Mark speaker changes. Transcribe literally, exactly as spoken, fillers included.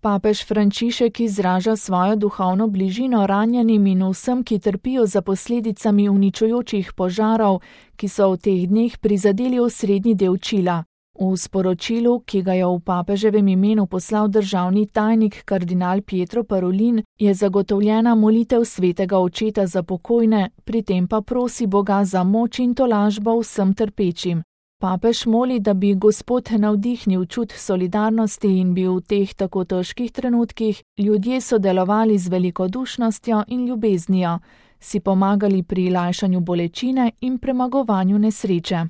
Speaker 1: Papež Frančišek izraža svojo duhovno bližino ranjenim in vsem, ki trpijo za posledicami uničujočih požarov, ki so v teh dneh prizadeli osrednji del Čila. V sporočilu, ki ga je v papeževem imenu poslal državni tajnik kardinal Pietro Parolin, je zagotovljena molitev svetega očeta za pokojne, pri tem pa prosi Boga za moč in tolažbo vsem trpečim. Papež moli, da bi Gospod navdihnil čut solidarnosti in bi v teh tako težkih trenutkih ljudje sodelovali z velikodušnostjo in ljubeznijo, si pomagali pri lajšanju bolečine in premagovanju nesreče.